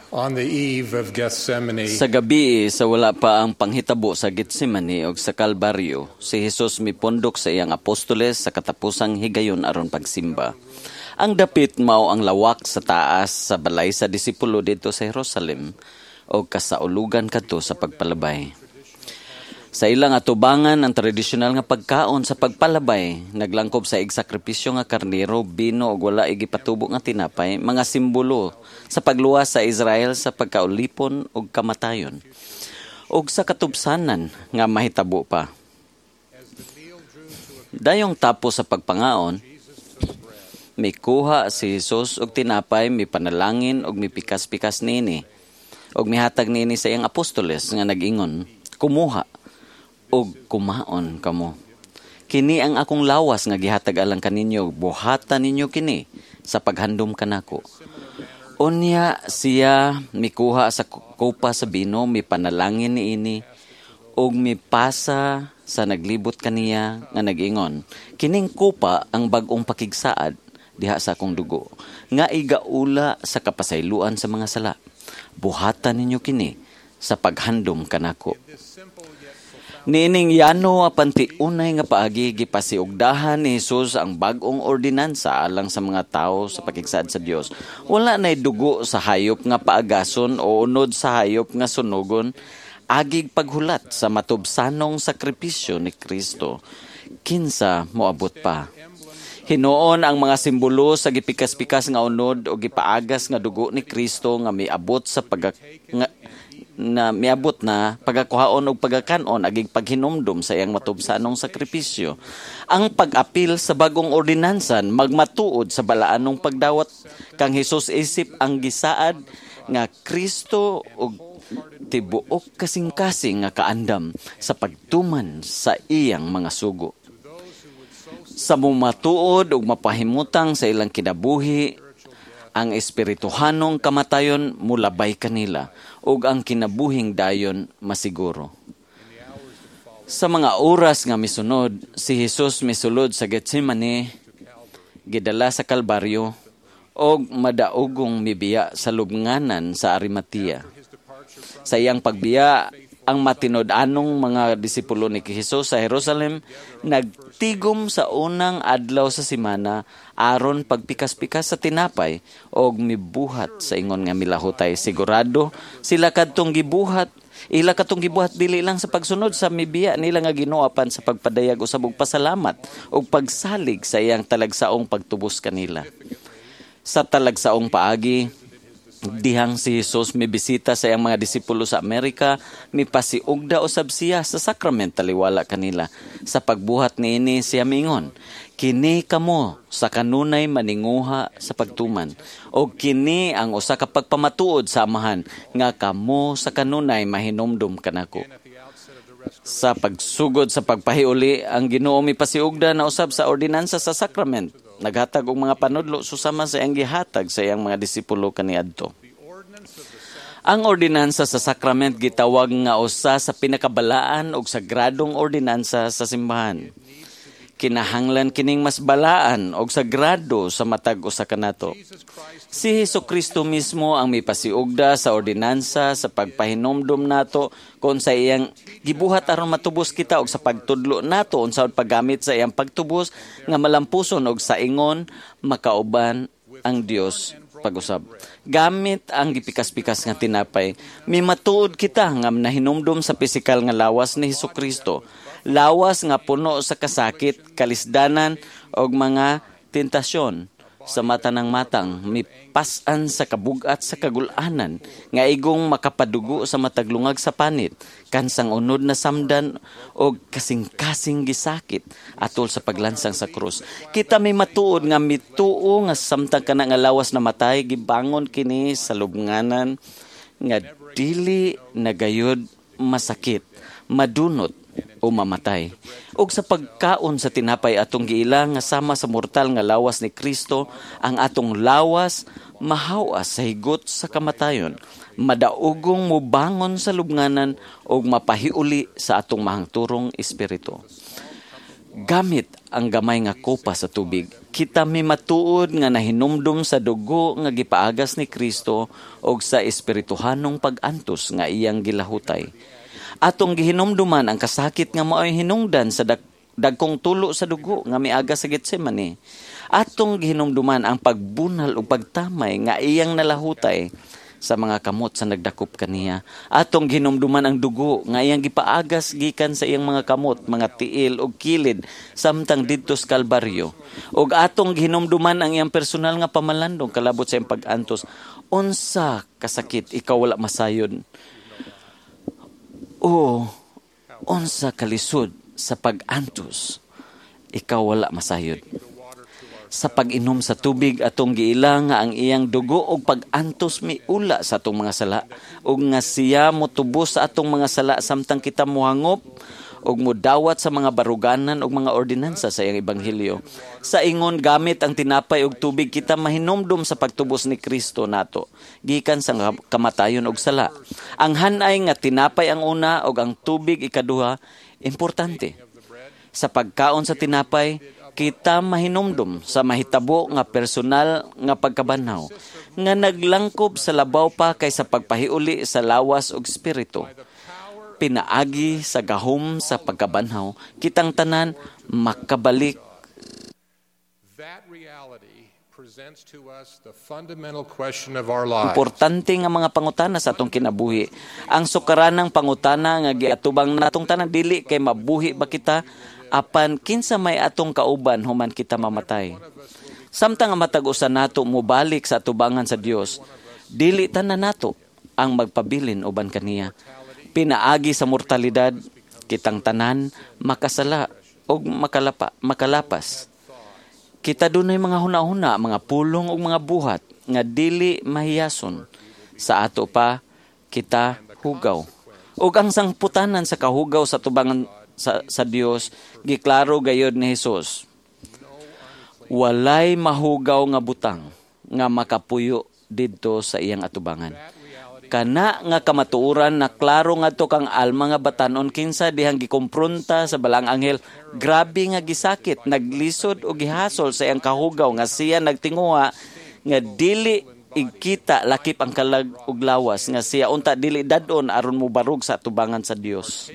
On the eve of Gethsemane, Sa gabi sa wala pa ang panghitabo sa Getsemane og sa Kalbaryo, si Jesus mipundok sa iyang apostoles sa katapusang higayon aron pagsimba. Ang dapit mao ang lawak sa taas sa balay sa disipulo didto sa Jerusalem og kasaulugan kadto sa pagpalabay. Sa ilang atubangan ang tradisyonal nga pagkaon sa pagpalabay, naglangkob sa igsakripisyo nga karnero, bino ug wala igipatubo nga tinapay, mga simbolo sa pagluwas sa Israel sa pagkaulipon ug kamatayon ug sa katubsanan nga mahitabo pa. Dayong tapos sa pagpangaon, mikuha si Jesus og tinapay, mipanalangin ug mipikas-pikas niini ug mihatag niini sa iyang apostoles nga nag-ingon, "Kumuha ug kumaon kamo. Kini ang akong lawas nga gihatag alang kaninyo, buhata ninyo kini sa paghandom kanako." Unya siya mikuha sa kopa sa bino, mipanalangin niini ug mipasa sa naglibot kaniya nga nag-ingon, "Kining kopa ang bag-ong pakigsaad diha sa akong dugo nga igaula sa kapasayloan sa mga sala. Buhatan ninyo kini sa paghandom kanako." Niining yano apan tiunay nga paagi, gipasiugdahan ni Jesus ang bag-ong ordinansa alang sa mga tawo sa pakigsaad sa Dios. Wala nay dugo sa hayop nga paagason o unod sa hayop nga sunugon agig paghulat sa matubsanong sakripisyo ni Kristo. Kinsa moabot pa? Hinuon ang mga simbolo sa gipikas-pikas nga unod o gipaagas nga dugo ni Kristo nga miabot sa pag nga, na miabot na pagakuhaon og pagakanon agig paghinumdum sa iyang matubsanong sakripisyo. Ang pag-apil sa bagong ordinansa magmatuod sa balaanong pagdawat kang Hesus isip ang gisaad nga Kristo og tibuok kasing-kasing nga kaandam sa pagtuman sa iyang mga sugo. Sa mumatuod ug mapahimutang sa ilang kinabuhi, ang espirituhanong kamatayon mulabay kanila ug ang kinabuhing dayon masiguro. Sa mga oras nga misunod, si Jesus misulod sa Getsemane, gidala sa Kalbaryo, og madaogong mibiya sa lubnganan sa Arimatea. Sa iyang pagbiya, ang matinud-anong mga disipulo ni Jesus sa Jerusalem nagtigom sa unang adlaw sa semana aron pagpikas-pikas sa tinapay og mibuhat sa ingon nga milahutay. Sigurado sila kadtong gibuhat ila katong gibuhat dili lang sa pagsunod sa mibiya nila nga Ginoo apan sa pagpadayag usab og pasalamat og pagsalig sa iyang talagsaong pagtubos kanila. Sa talagsaong paagi, dihang si Jesus mibisita sa iyang mga disipulo sa Amerika, mipasiugda usab siya sa sakrament taliwala kanila. Sa pagbuhat niini siya miingon, "Kini kamo sa kanunay maninguha sa pagtuman, og kini ang usa ka pagpamatuod sa Amahan nga kamo sa kanunay mahinumdum kanako." Sa pagsugod sa pagpahiuli, ang Ginoo mipasiugda na usab sa ordinansa sa sakrament. Naghatag og mga panudlo susama sa iyang gihatag sa iyang mga disipulo kaniadto. Ang ordinansa sa sakrament gitawag nga usa sa pinakabalaan og sagradong ordinansa sa simbahan. Kinahanglan kining mas balaan og sagrado sa matag usa kanato. Si Hesukristo mismo ang mipasiugda sa ordinansa sa pagpahinumdom nato kon sa iyang gibuhat aron matubos kita og sa pagtudlo nato unsaon paggamit sa iyang pagtubos nga malampuson og sa ingon makauban ang Dios pag-usab. Gamit ang gipikas-pikas nga tinapay, mimatuod kita nga nahinumdom sa pisikal nga lawas ni Hesukristo. Lawas nga puno sa kasakit, kalisdanan og mga tentasyon sa mata ng matang, mipas-an sa kabugat sa kagulanan, nga igong makapadugo sa mataglungag sa panit, kansang unod na samdan og kasing-kasing gisakit atol sa paglansang sa krus. Kita may matuod nga mituo nga samtang kana nga lawas na matay, gibangon kini sa lubnganan nga dili na gayud masakit, madunot o mamatay. Og sa pagkaon sa tinapay atong giila nga sama sa mortal nga lawas ni Kristo, ang atong lawas mahawas sa higot sa kamatayon, madaugong mubangon sa lubnganan og mapahiuli sa atong mahangturong espiritu. Gamit ang gamay nga kopa sa tubig, kita mimatuod nga nahinumdum sa dugo nga gipaagas ni Kristo og sa espirituhanong pag-antos nga iyang gilahutay. Atong gihinumduman ang kasakit nga mao'y hinungdan sa dagkong tulo sa dugo nga miagas sa Getsemane. Atong gihinumduman ang pagbunal ug pagtamay nga iyang nalahutay sa mga kamot sa nagdakop kaniya. Atong gihinumduman ang dugo nga iyang gipaagas gikan sa iyang mga kamot, mga tiil ug kilid samtang didto sa Kalbaryo. Ug atong gihinumduman ang iyang personal nga pamalandong kalabot sa iyang pag-antos. Unsa kasakit ikaw wala masayod? O unsa kalisod sa pag-antos ikaw wala masayod? Sa pag-inom sa tubig, atong giila nga ang iyang dugo og pag-antos miula sa atong mga sala ug nga siya motubos sa atong mga sala samtang kita mohangop ug modawat sa mga baruganan ug mga ordinansa sa iyang ebanghelyo. Sa ingon gamit ang tinapay ug tubig, kita mahinumdum sa pagtubos ni Kristo nato gikan sa kamatayon ug sala. Ang hanay nga tinapay ang una ug ang tubig ikaduha, importante. Sa pagkaon sa tinapay, kita mahinumdum sa mahitabo nga personal nga pagkabanhaw nga naglangkob sa labaw pa kaysa pagpahiuli sa lawas ug espiritu. Pinaagi sa gahom sa pagkabanhaw, kitang tanan makabalik. That reality presents to us the fundamental question of our lives. Importante nga mga pangutana sa atong kinabuhi. Ang sukaranang pangutana nga giatubang natong tanan dili kay mabuhi ba kita, apan kinsa may atong kauban human kita mamatay. Samtang ang matag usa nato mobalik sa atubangan sa Dios, dili tanan nato ang magpabilin uban kaniya. Pinaagi sa mortalidad, kitang tanan makasala og makalapas. Kita dunay mga hunahuna, mga pulong ug mga buhat nga dili mahiyason. Sa ato pa kita hugaw. Ug ang sangputanan sa kahugaw sa tubangan sa Dios, giklaro gayod ni Hesus. Walay mahugaw nga butang nga makapuyo didto sa iyang atubangan. Kana nga kamatuoran na klaro ngadto kang Alma nga batanon kinsa dihang gikompronta sa balang anghel, grabe nga gisakit, naglisod o gihasol sa iyang kahugaw nga siya nagtinguha nga dili igkita lakip ang kalag ug lawas nga siya unta dili dadon aron mobarug sa atubangan sa Dios.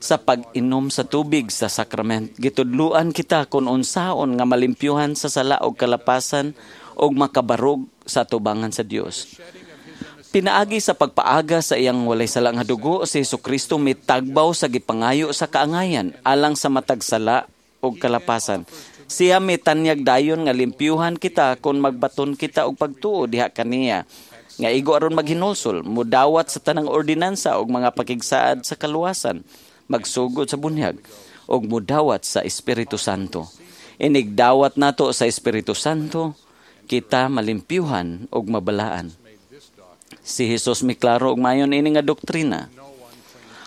Sa pag-inom sa tubig sa sakrament, gitudluan kita kung unsaon nga malimpyuhan sa sala og kalapasan og makabarog sa atubangan sa Dios. Pinaagi sa pagpaaga sa iyang walay sala nga dugo, si Hesukristo mitagbaw sa gipangayo sa kaangayan alang sa matag sala og kalapasan. Siya mitanyag dayon nga limpyuhan kita kung magbaton kita og pagtuo diha kaniya nga igo aron maghinulsol, mudawat sa tanang ordinansa og mga pakigsaad sa kaluwasan, magsugod sa bunyag og mudawat sa Espiritu Santo. Inigdawat nato sa Espiritu Santo, kita malimpyuhan og mabalaan. Si Jesus miklaro og mayon ini nga doktrina.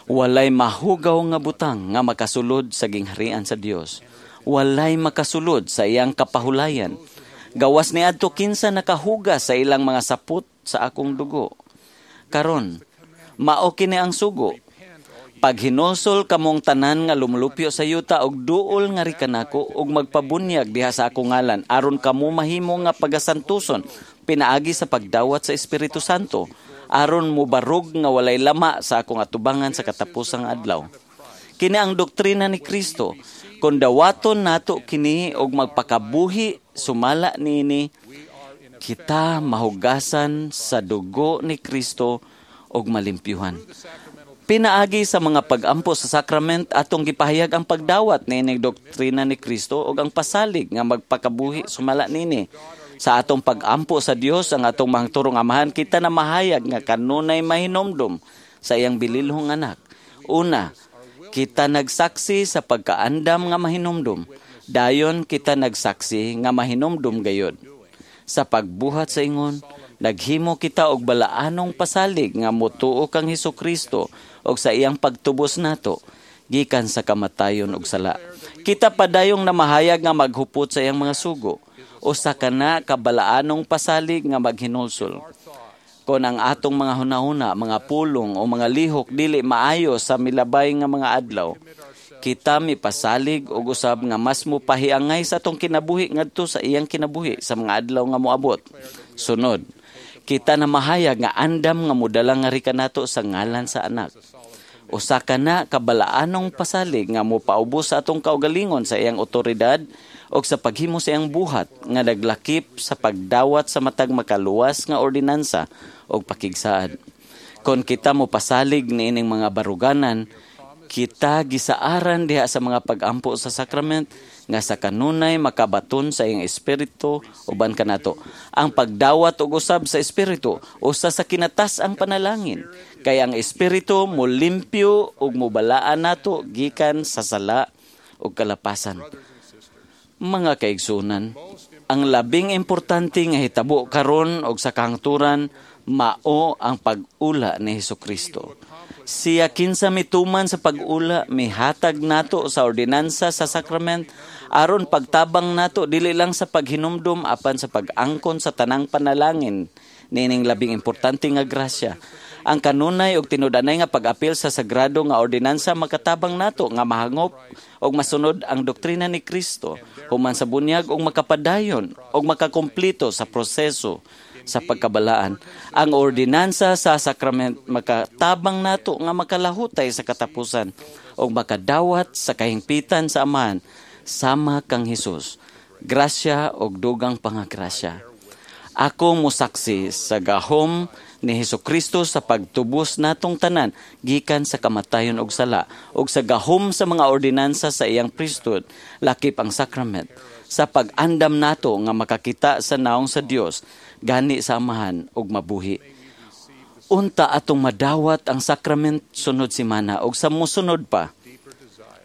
Walay mahugaw nga butang nga makasulod sa gingharian sa Dios. Walay makasulod sa iyang kapahulayan. Gawas niadto kinsa nakahugas sa ilang mga sapot sa akong dugo. Karon, mao kini ang sugo. Paghinulsol kamong tanan nga lumulupyo sa yuta og duol nga rikanako og magpabunyag diha sa akong ngalan aron kamo mahimo nga pagasantuson pinaagi sa pagdawat sa Espiritu Santo aron mobarog nga walay lama sa akong atubangan sa katapusang adlaw. Kini ang doktrina ni Kristo. Kon dawaton nato kini og magpakabuhi sumala niini, kita mahugasan sa dugo ni Kristo og malimpyuhan. Pinaagi sa mga pag-ampo sa sakrament, atong gipahayag ang pagdawat niining doktrina ni Kristo ug ang pasalig nga magpakabuhi sumala niini. Sa atong pag-ampo sa Dios ang atong mahangturong Amahan, kita na mahayag nga kanunay mahinomdom sa iyang bililhong anak. Una, kita nagsaksi sa pagkaandam nga mahinomdom. Dayon kita nagsaksi nga mahinomdom gayod. Sa pagbuhat sa ingon, naghimo kita og balaanong pasalig nga motuo kang Hesukristo og sa iyang pagtubos nato gikan sa kamatayon ug sala. Kita padayong namahayag nga maghupot sa iyang mga sugo usa kana ka balaanong pasalig nga maghinulsol. Kon ang atong mga hunahuna, mga pulong o mga lihok dili maayo sa milabay nga mga adlaw, Kita mipasalig og usab nga mas mopahiangay sa atong kinabuhi ngadto sa iyang kinabuhi sa mga adlaw nga moabot. Sunod, kita namahayag nga andam nga modala ngari kanato sa ngalan sa Anak. Usa ka na kabalaanong pasalig nga mopaubos sa atong kaugalingon sa iyang otoridad o sa paghimo sa iyang buhat nga naglakip sa pagdawat sa matag makaluwas nga ordinansa o pakigsaad. Kon kita mopasalig niining mga baruganan, kita gisaaran diha sa mga pagampo sa sakrament nga sa kanunay makabaton sa iyang espiritu uban kanato. Ang pagdawat og usab sa espiritu usa sa kinatas ang panalangin, kay ang espiritu molimpyo ug mobalaan nato gikan sa sala ug kalapasan. Mga kaigsunan, ang labing importante nga hitabo karon og sa kahangturan mao ang pag-ula ni Hesukristo. Siya kinsa mituman sa pag-ula, mihatag nato sa ordinansa sa sakrament aron pagtabang nato dili lang sa paghinumdum apan sa pag-angkon sa tanang panalangin niining labing importante nga grasya. Ang kanunay og tinud-anay nga pag-apil sa sagrado nga ordinansa makatabang nato nga mahangop og masunod ang doktrina ni Kristo human sa bunyag og makapadayon og makakumpleto sa proseso sa pagkabalaan. Ang ordinansa sa sakrament makatabang nato nga makalahutay sa katapusan og makadawat sa kahingpitan sa Amahan sama kang Hesus. Grasya og dugang pangagrasya. Ako mosaksi sa gahom ni Hesukristo sa pagtubos natong tanan gikan sa kamatayon og sala og sa gahom sa mga ordinansa sa iyang priesthood, lakip ang sakrament, sa pag-andam nato nga makakita sa naong sa Dios gani sa Amahan og mabuhi. Unta atong madawat ang sakrament sunod semana og sa mosunod pa,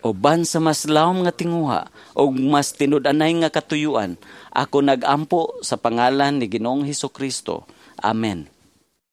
uban sa mas lawom nga tinguha og mas tinud-anay nga katuyuan, ako nagampo sa pangalan ni Ginoong Hesukristo. Amen.